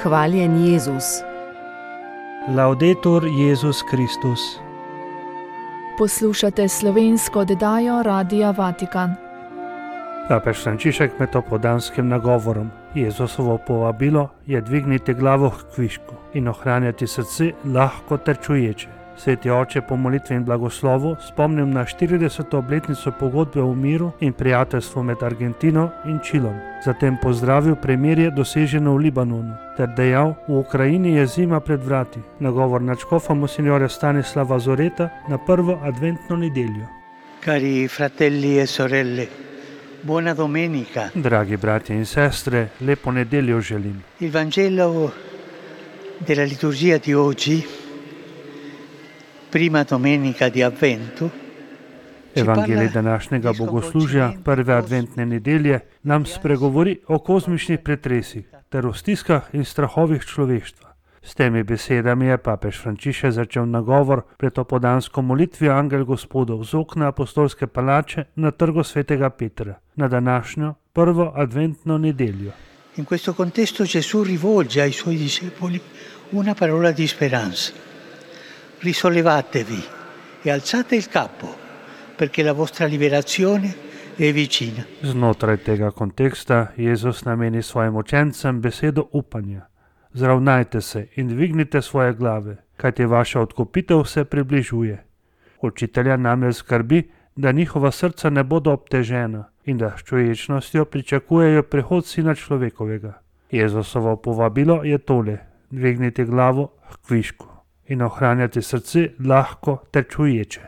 Hvaljen Jezus. Laudetur Jezus Kristus. Poslušate slovensko oddajo Radia Vatikan. Papež Frančišek med opoldanskim nagovorom Jezusovo povabilo je dvigniti glavo k kvišku in ohranjati srce lahko ter čuječe. Sveti oče po molitvi in blagoslovu spomnim na 40. obletnico pogodbe o miru in prijateljstvu med Argentino in Čilom. Zatem pozdravil premirje doseženo v Libanonu ter dejal, v Ukrajini je zima pred vrati. Nagovor nadškofa monsignora Stanislava Zoreta na prvo adventno nedeljo. Cari fratelli e sorelle, buona domenica. Dragi bratje in sestre, lepo nedeljo želim. Il Vangelo della liturgia di oggi, prima domenica di Avvento, Evangelij današnjega bogoslužja prve adventne nedelje nam spregovori o kozmičnih pretresih ter o stiskah in strahovih človeštva. S temi besedami je papež Frančišek začel nagovor pred opoldansko molitvijo Angel Gospodov z okna apostolske palače na trgu svetega Petra na današnjo prvo adventno nedeljo. In questo contesto Gesù rivolge ai suoi discepoli una parola di speranza. Risollevatevi e alzate il capo, perché la vostra liberazione è vicina. Znotraj tega konteksta Jezus nameni svojim učencem besedo upanja. Zravnajte se in dvignite svoje glave, kajti vaša odkupitev se približuje. Učitelja namreč skrbi, da njihova srca ne bodo obtežena in da s čuječnostjo pričakujejo prihod Sina človekovega. Jezusovo povabilo je tole: dvigniti glavo k kvišku in ohranjati srce lahko ter čuječe.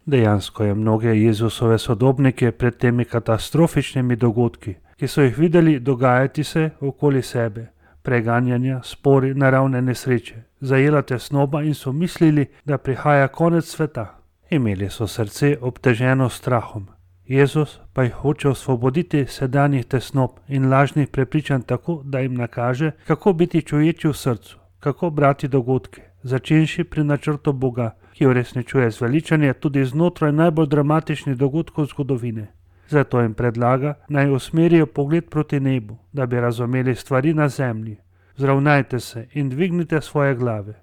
Dejansko je mnoge Jezusove sodobnike pred temi katastrofičnimi dogodki, ki so jih videli dogajati se okoli sebe, preganjanja, spori, naravne nesreče, zajela tesnoba in so mislili, da prihaja konec sveta. Imeli so srce obteženo strahom. Jezus pa jih hoče osvoboditi sedanjih tesnob in lažnih prepričanj tako, da jim nakaže, kako biti čuječi v srcu, kako brati dogodke, začenši pri načrtu Boga, ki uresničuje zveličanje tudi znotraj najbolj dramatičnih dogodkov zgodovine. Zato jim predlaga, naj usmerijo pogled proti nebu, da bi razumeli stvari na zemlji. Zravnajte se in dvignite svoje glave.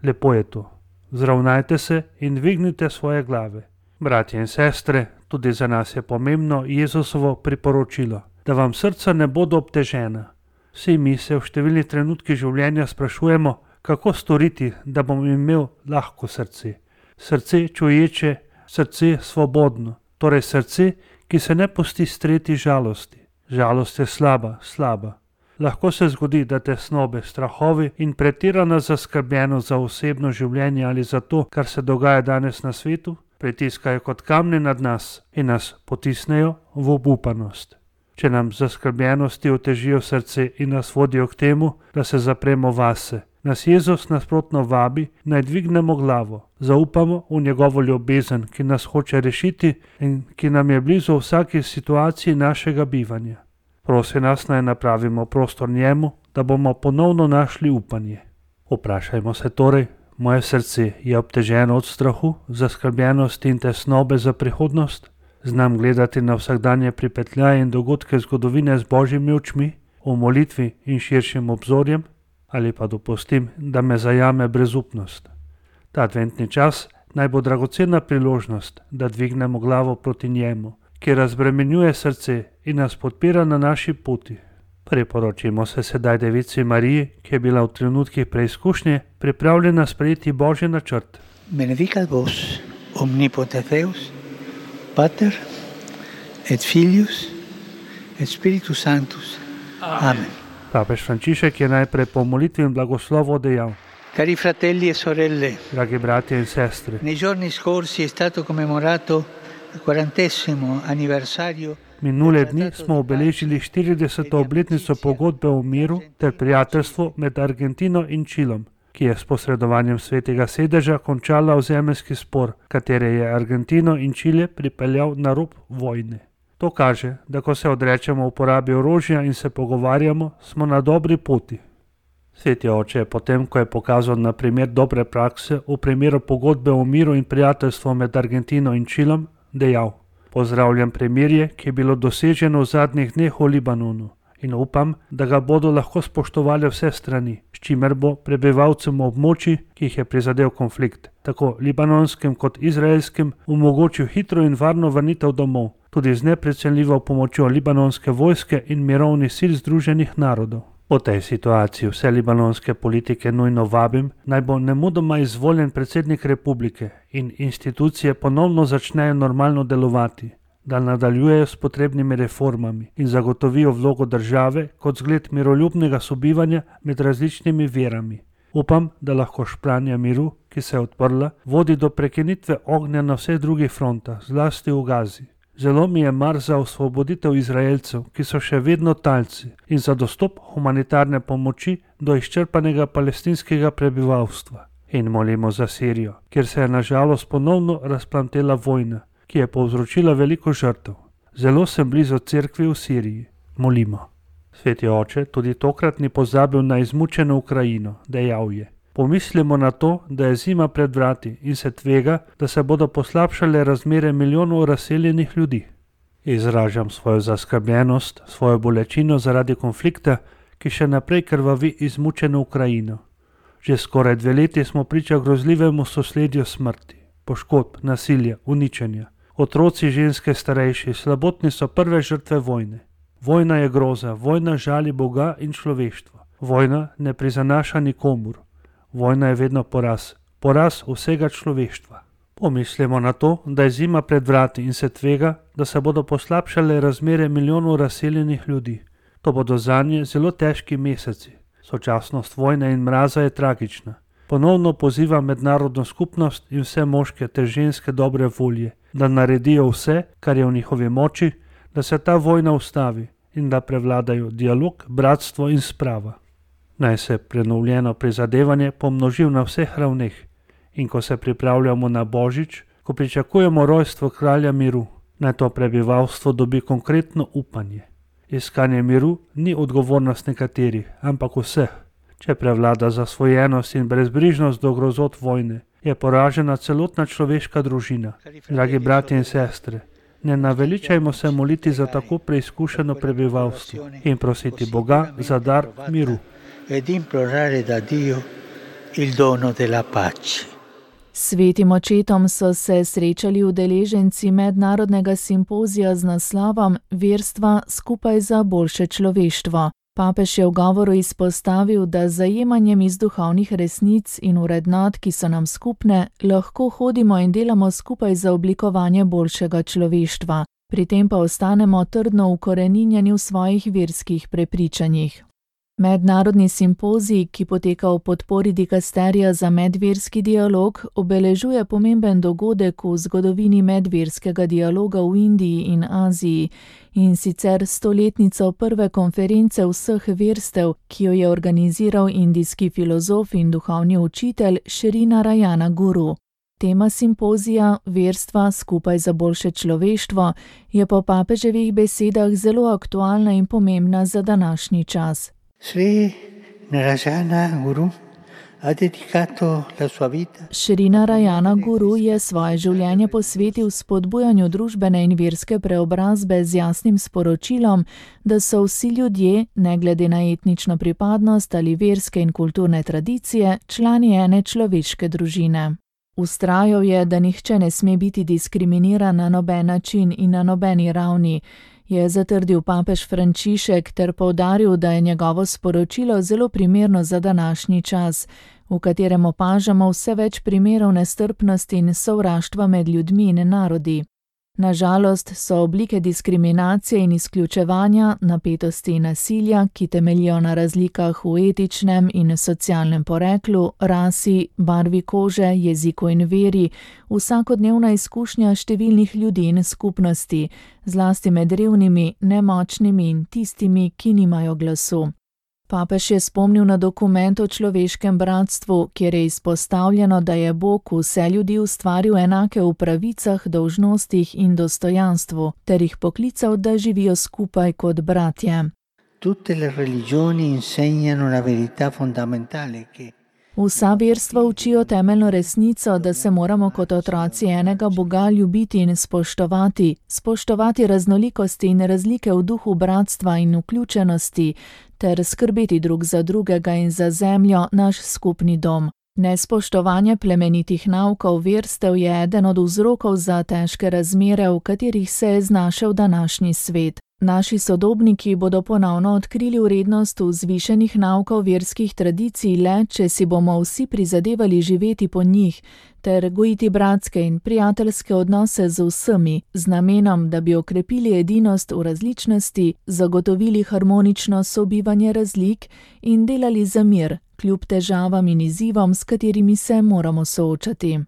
Lepo je to. Zravnajte se in dvignite svoje glave. Bratje in sestre, tudi za nas je pomembno Jezusovo priporočilo, da vam srca ne bodo obtežena. Vsi mi se v številnih trenutkih življenja sprašujemo, kako storiti, da bom imel lahko srce. Srce čuječe, srce svobodno, torej srce, ki se ne pusti streti žalosti. Žalost je slaba. Lahko se zgodi, da tesnobe, strahovi in pretirana zaskrbljenost za osebno življenje ali za to, kar se dogaja danes na svetu, pritiskajo kot kamne nad nas in nas potisnejo v obupanost. Če nam zaskrbljenosti otežijo srce in nas vodijo k temu, da se zapremo vase, nas Jezus nasprotno vabi, naj dvignemo glavo, zaupamo v njegovo ljubezen, ki nas hoče rešiti in ki nam je blizu v vsaki situaciji našega bivanja. Prosi nas, naj napravimo prostor njemu, da bomo ponovno našli upanje. Vprašajmo se torej, moje srce je obteženo od strahu, zaskrbljenosti in tesnobe za prihodnost? Znam gledati na vsakdanje pripetljaje in dogodke zgodovine z božjimi očmi, v molitvi in širšim obzorjem, ali pa dopustim, da me zajame brezupnost. Ta adventni čas naj bo dragocena priložnost, da dvignemo glavo proti njemu, ki razbremenjuje srce in nas podpira na naši poti. Priporočimo se sedaj Devici Mariji, ki je bila v trenutkih preizkušnje pripravljena sprejeti božji načrt. Benedicat vos, omnipotens Deus, Pater et Filius et Spiritus Sanctus. Amen. Papež Frančišek je najprej po molitvi in blagoslovu dejal: Cari fratelli e sorelle, dragi bratje in sestre, nei giorni scorsi è stato commemorato il 40° anniversario. Minule dni smo obeležili 40. obletnico pogodbe o miru ter prijateljstvu med Argentino in Čilom, ki je s posredovanjem svetega sedeža končala ozemeljski spor, katere je Argentino in Čile pripeljal na rob vojne. To kaže, da ko se odrečemo uporabi orožja in se pogovarjamo, smo na dobri poti. Sveti oče je potem, ko je pokazal na primer dobre prakse v primeru pogodbe o miru in prijateljstvu med Argentino in Čilom, dejal: pozdravljam premirje, ki je bilo doseženo v zadnjih dneh v Libanonu in upam, da ga bodo lahko spoštovali vse strani, s čimer bo prebivalcem območij, ki jih je prizadel konflikt, tako libanonskim kot izraelskim, omogočil hitro in varno vrnitev domov, tudi z neprecenljivo pomočjo libanonske vojske in mirovnih sil Združenih narodov. Po tej situaciji vse libanonske politike nujno vabim, naj bo nemudoma izvoljen predsednik republike in institucije ponovno začnejo normalno delovati, da nadaljujejo s potrebnimi reformami in zagotovijo vlogo države kot zgled miroljubnega sobivanja med različnimi verami. Upam, da lahko špranja miru, ki se je odprla, vodi do prekinitve ognja na vseh drugih frontah, zlasti v Gazi. Zelo mi je mar za osvoboditev Izraelcev, ki so še vedno talci, in za dostop humanitarne pomoči do izčrpanega palestinskega prebivalstva. In molimo za Sirijo, kjer se je nažalost ponovno razplantela vojna, ki je povzročila veliko žrtev. Zelo sem blizu cerkvi v Siriji. Molimo. Sveti oče tudi tokrat ni pozabil na izmučeno Ukrajino, dejal je. Pomislimo na to, da je zima pred vrati in se tvega, da se bodo poslabšale razmere milijonov razseljenih ljudi. Izražam svojo zaskrbljenost, svojo bolečino zaradi konflikta, ki še naprej krvavi izmučeno Ukrajino. Že skoraj 2 leti smo priča grozljivemu sosledju smrti, poškodb, nasilja, uničenja. Otroci, ženske, starejši, slabotni so prve žrtve vojne. Vojna je groza, vojna žali Boga in človeštvo. Vojna ne prizanaša nikomur. Vojna je vedno poraz, poraz vsega človeštva. Pomislimo na to, da je zima pred vrati in se tvega, da se bodo poslabšale razmere milijonov razseljenih ljudi. To bodo zanje zelo težki meseci. Sočasnost vojne in mraza je tragična. Ponovno pozivam mednarodno skupnost in vse moške ter ženske dobre volje, da naredijo vse, kar je v njihovi moči, da se ta vojna ustavi in da prevladajo dialog, bratstvo in sprava. Naj se prenovljeno prizadevanje pomnoži na vseh ravneh in ko se pripravljamo na Božič, ko pričakujemo rojstvo kralja miru, naj to prebivalstvo dobi konkretno upanje. Iskanje miru ni odgovornost nekaterih, ampak vseh. Če prevlada zasvojenost in brezbrižnost do grozot vojne, je poražena celotna človeška družina. Dragi bratje in sestre, ne naveličajmo se moliti za tako preizkušeno prebivalstvo in prositi Boga za dar miru. Ed implorare da Dio il dono della pace. Svetim očetom so se srečali udeleženci mednarodnega simpozija z naslovom Verstva skupaj za boljše človeštvo. Papež je v govoru izpostavil, da z zajemanjem iz duhovnih resnic in vrednot, ki so nam skupne, lahko hodimo in delamo skupaj za oblikovanje boljšega človeštva. Pri tem pa ostanemo trdno ukoreninjeni v svojih verskih prepričanjih. Mednarodni simpozij, ki poteka v podpori dikasterija za medverski dialog, obeležuje pomemben dogodek v zgodovini medverskega dialoga v Indiji in Aziji, in sicer 100-letnico prve konference vseh verstev, ki jo je organiziral indijski filozof in duhovni učitelj Sri Narayana Guru. Tema simpozija Verstva skupaj za boljše človeštvo je po papeževih besedah zelo aktualna in pomembna za današnji čas. Sri Narayana Guru ha dedicato la sua vita. Sri Narayana Guru je svoje življenje posvetil spodbujanju družbene in verske preobrazbe z jasnim sporočilom, da so vsi ljudje, ne glede na etnično pripadnost ali verske in kulturne tradicije, člani ene človeške družine. Vztrajal je, da nihče ne sme biti diskriminiran na noben način in na nobeni ravni, je zatrdil papež Frančišek ter poudaril, da je njegovo sporočilo zelo primerno za današnji čas, v katerem opažamo vse več primerov nestrpnosti in sovraštva med ljudmi in narodi. Na žalost so oblike diskriminacije in izključevanja, napetosti in nasilja, ki temeljijo na razlikah v etičnem in socialnem poreklu, rasi, barvi kože, jeziku in veri, vsakodnevna izkušnja številnih ljudi in skupnosti, zlasti med revnimi, nemočnimi in tistimi, ki nimajo glasu. Papež je spomnil na dokument o človeškem bratstvu, kjer je izpostavljeno, da je Bog vse ljudi ustvaril enake v pravicah, dolžnostih in dostojanstvu, ter jih poklical, da živijo skupaj kot bratje. Tutte le religioni insegnano la verità fondamentale che Vsa verstva učijo temeljno resnico, da se moramo kot otroci enega Boga ljubiti in spoštovati, spoštovati raznolikosti in razlike v duhu bratstva in vključenosti, ter skrbeti drug za drugega in za zemljo, naš skupni dom. Nespoštovanje plemenitih naukov verstev je eden od vzrokov za težke razmere, v katerih se je znašel današnji svet. Naši sodobniki bodo ponovno odkrili vrednost vzvišenih naukov verskih tradicij le, če si bomo vsi prizadevali živeti po njih, ter gojiti bratske in prijateljske odnose z vsemi, z namenom, da bi okrepili edinost v različnosti, zagotovili harmonično sobivanje razlik in delali za mir, kljub težavam in izzivom, s katerimi se moramo soočati.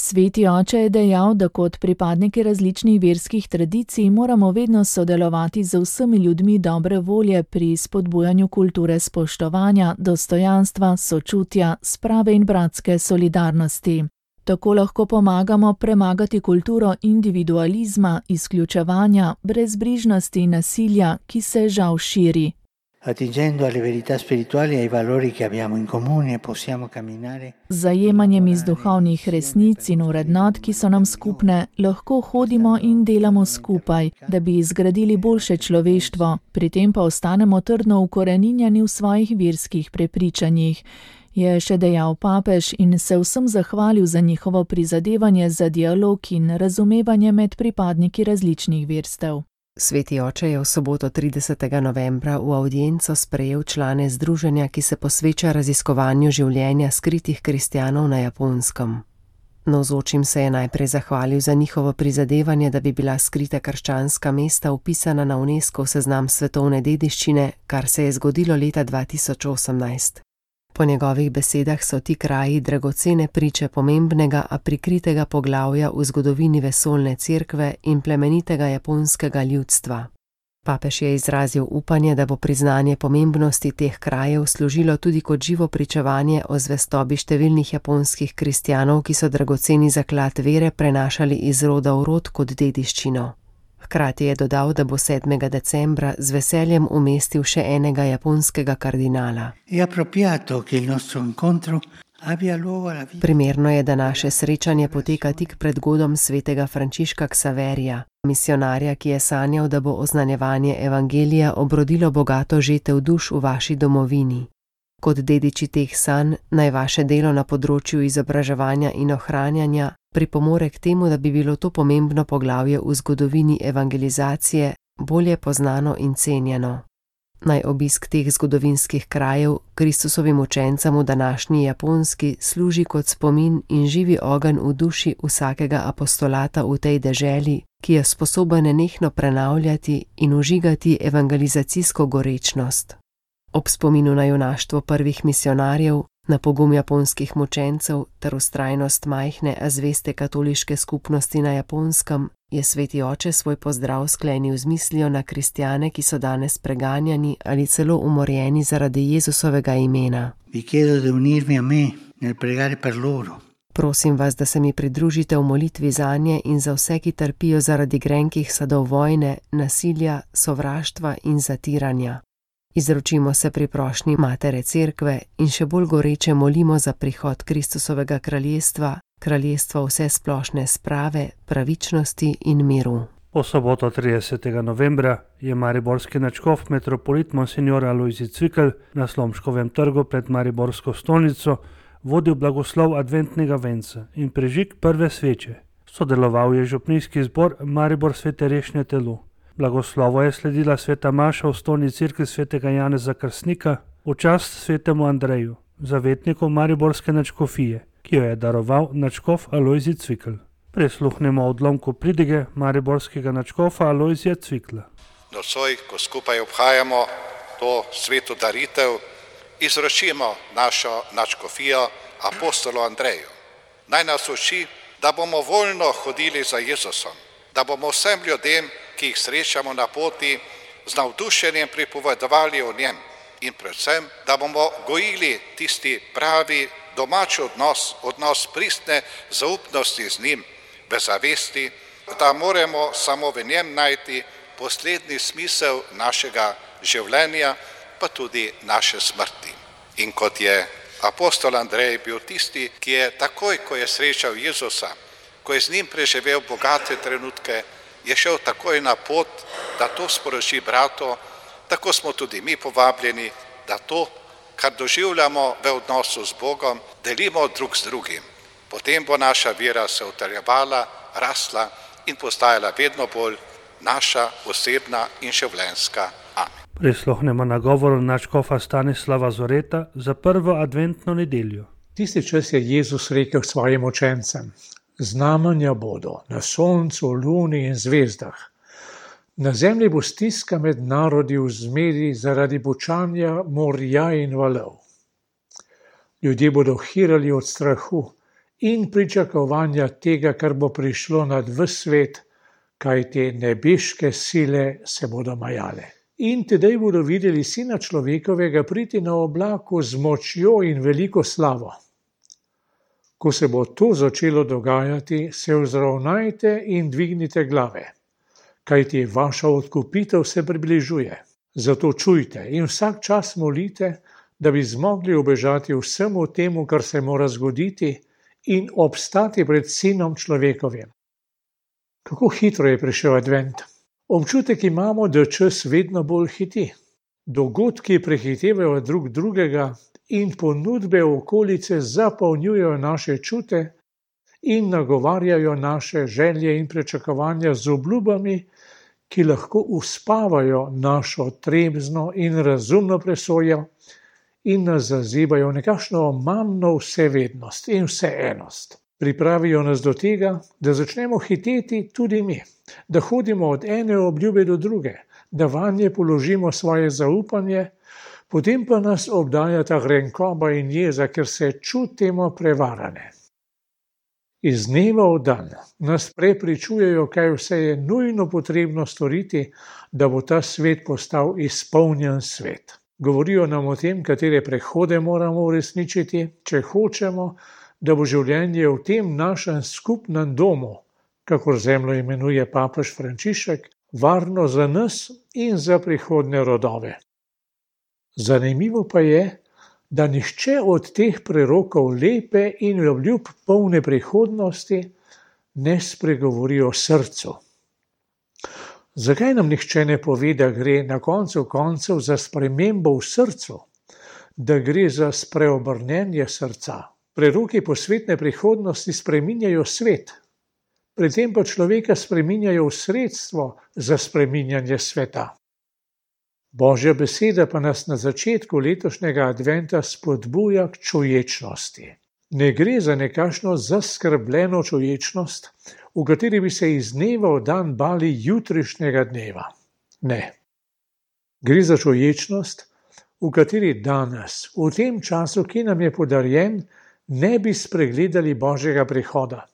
Sveti oče je dejal, da kot pripadniki različnih verskih tradicij moramo vedno sodelovati z vsemi ljudmi dobre volje pri spodbujanju kulture spoštovanja, dostojanstva, sočutja, sprave in bratske solidarnosti. Tako lahko pomagamo premagati kulturo individualizma, izključevanja, brezbrižnosti in nasilja, ki se žal širi. Attingendo alle verità spirituali e ai valori che abbiamo in comune, possiamo camminare. Z zajemanjem iz duhovnih resnic in vrednot, ki so nam skupne, lahko hodimo in delamo skupaj, da bi izgradili boljše človeštvo, pri tem pa ostanemo trdno ukoreninjeni v svojih verskih prepričanjih, je še dejal papež in se vsem zahvalil za njihovo prizadevanje za dialog in razumevanje med pripadniki različnih verstev. Sveti oče je v soboto 30. novembra v avdienco sprejel člane združenja, ki se posveča raziskovanju življenja skritih kristjanov na Japonskem. Navzočim se je najprej zahvalil za njihovo prizadevanje, da bi bila skrita krščanska mesta vpisana na UNESCO seznam svetovne dediščine, kar se je zgodilo leta 2018. Po njegovih besedah so ti kraji dragocene priče pomembnega, a prikritega poglavja v zgodovini vesoljne cerkve in plemenitega japonskega ljudstva. Papež je izrazil upanje, da bo priznanje pomembnosti teh krajev služilo tudi kot živo pričevanje o zvestobi številnih japonskih kristjanov, ki so dragoceni zaklad vere prenašali iz roda v rod kot dediščino. Hkrati je dodal, da bo 7. decembra z veseljem umestil še enega japonskega kardinala. Primerno je, da naše srečanje poteka tik pred godom svetega Frančiška Ksaverija, misionarja, ki je sanjal, da bo oznanjevanje evangelija obrodilo bogato žetev duš v vaši domovini. Kot dediči teh sanj naj vaše delo na področju izobraževanja in ohranjanja pripomore k temu, da bi bilo to pomembno poglavje v zgodovini evangelizacije bolje poznano in cenjeno. Naj obisk teh zgodovinskih krajev Kristusovim učencem v današnji Japonski služi kot spomin in živi ogenj v duši vsakega apostolata v tej deželi, ki je sposoben nenehno prenavljati in užigati evangelizacijsko gorečnost. Ob spominu na junaštvo prvih misionarjev, na pogum japonskih mučencev ter vztrajnost majhne, a zveste katoliške skupnosti na Japonskem, je sveti oče svoj pozdrav sklenil z mislijo na kristjane, ki so danes preganjani ali celo umorjeni zaradi Jezusovega imena. Prosim vas, da se mi pridružite v molitvi zanje in za vse, ki trpijo zaradi grenkih sadov vojne, nasilja, sovraštva in zatiranja. Izročimo se pri prošnji Matere Cerkve in še bolj goreče molimo za prihod Kristusovega kraljestva, kraljestva vse splošne sprave, pravičnosti in miru. Po soboto 30. novembra je mariborski nadškof metropolit monsignor Alojzij Cvikl na Slomškovem trgu pred mariborsko stolnico vodil blagoslov adventnega venca in prižig prve sveče. Sodeloval je župnijski zbor Maribor Svete Rešnje telo. Blagoslovo je sledila sveta maša v stolni cerkvi svetega Janeza Krstnika v čast svetemu Andreju, zavetniku mariborske nadškofije, ki jo je daroval nadškof Alojzij Cvikl. Prisluhnemo odlomku pridige mariborskega nadškofa Alojzija Cvikla. Nocoj, ko skupaj obhajamo to sveto daritev, izročimo našo nadškofijo apostolu Andreju. Naj nas uči, da bomo voljno hodili za Jezusom, da bomo vsem ljudem, ki jih srečamo na poti, z navdušenjem pripovedovali o njem in predvsem, da bomo gojili tisti pravi domač odnos pristne zaupnosti z njim, v zavesti, da moramo samo v njem najti poslednji smisel našega življenja, pa tudi naše smrti. In kot je Apostol Andrej je bil tisti, ki je takoj, ko je srečal Jezusa, ko je z njim preživel bogate trenutke, je šel takoj na pot, da to sporoči bratu. Tako smo tudi mi povabljeni, da to, kar doživljamo v odnosu z Bogom, delimo drug z drugim. Potem bo naša vera se utrjevala, rasla in postajala vedno bolj naša osebna in življenjska. Amen. Prisluhnemo nagovoru nadškofa Stanislava Zoreta za prvo adventno nedeljo. Tisti čas je Jezus rekel svojim učencem: znamenja bodo na soncu, luni in zvezdah. Na zemlji bo stiska med narodi v zmedi zaradi bučanja morja in valov. Ljudje bodo hirali od strahu in pričakovanja tega, kar bo prišlo nad ves svet, kajti nebeške sile se bodo majale. In tedaj bodo videli Sina človekovega priti na oblaku z močjo in veliko slavo. Ko se bo to začelo dogajati, se vzravnajte in dvignite glave, kajti vaša odkupitev se približuje. Zato čujte in vsak čas molite, da bi zmogli ubežati vsemu temu, kar se mora zgoditi, in obstati pred Sinom človekovim. Kako hitro je prišel advent. Občutek imamo, da čas vedno bolj hiti. Dogodki prehitevajo drug drugega in ponudbe okolice zapolnjujejo naše čute in nagovarjajo naše želje in pričakovanja z obljubami, ki lahko uspavajo našo trezno in razumno presojo in nas zazibajo v nekakšno omamno vsevednost in vseenost. Pripravijo nas do tega, da začnemo hiteti tudi mi, da hodimo od ene obljube do druge, da vanje položimo svoje zaupanje, potem pa nas obdajata grenkoba in jeza, ker se čutimo prevarane. Iz dneva v dan nas prepričujejo, kaj vse je nujno potrebno storiti, da bo ta svet postal izpolnjen svet. Govorijo nam o tem, katere prehode moramo uresničiti, če hočemo, da bo življenje v tem našem skupnem domu, kakor zemljo imenuje papež Frančišek, varno za nas in za prihodnje rodove. Zanimivo pa je, da nihče od teh prerokov lepe in obljub polne prihodnosti ne spregovori o srcu. Zakaj nam nihče ne pove, da gre na koncu koncev za spremembo v srcu, da gre za spreobrnenje srca? Preroki posvetne prihodnosti spreminjajo svet, pri tem pa človeka spreminjajo v sredstvo za spreminjanje sveta. Božja beseda pa nas na začetku letošnjega adventa spodbuja k čuječnosti. Ne gre za nekakšno zaskrbljeno čuječnost, v kateri bi se iz dneva v dan bali jutrišnjega dneva. Ne. Gre za čuječnost, v kateri danes, v tem času, ki nam je podarjen, ne bi spregledali Božjega prihoda,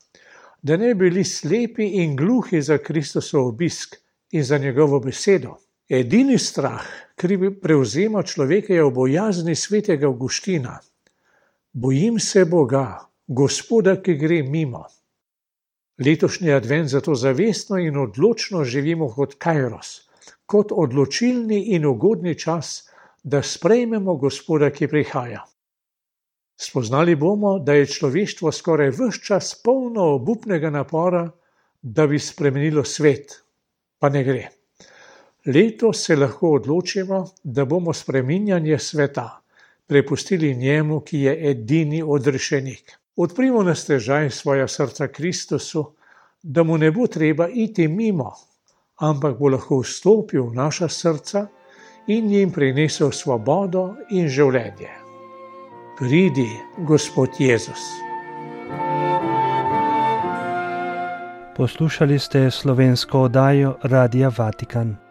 da ne bi bili slepi in gluhi za Kristosov obisk in za njegovo besedo. Edini strah, ki prevzema človeka, je v bojazni svetega Avguština. Bojim se Boga, Gospoda, ki gre mimo. Letošnji advent zato zavestno in odločno živimo kot kairos, kot odločilni in ugodni čas, da sprejmemo Gospoda, ki prihaja. Spoznali bomo, da je človeštvo skoraj ves čas polno obupnega napora, da bi spremenilo svet, pa ne gre. Letos se lahko odločimo, da bomo spreminjanje sveta prepustili njemu, ki je edini odrešenik. Odprimo na stežaj svoja srca Kristusu, da mu ne bo treba iti mimo, ampak bo lahko vstopil v naša srca in jim prinesel svobodo in življenje. Pridi, Gospod Jezus. Poslušali ste slovensko oddajo Radia Vatikan.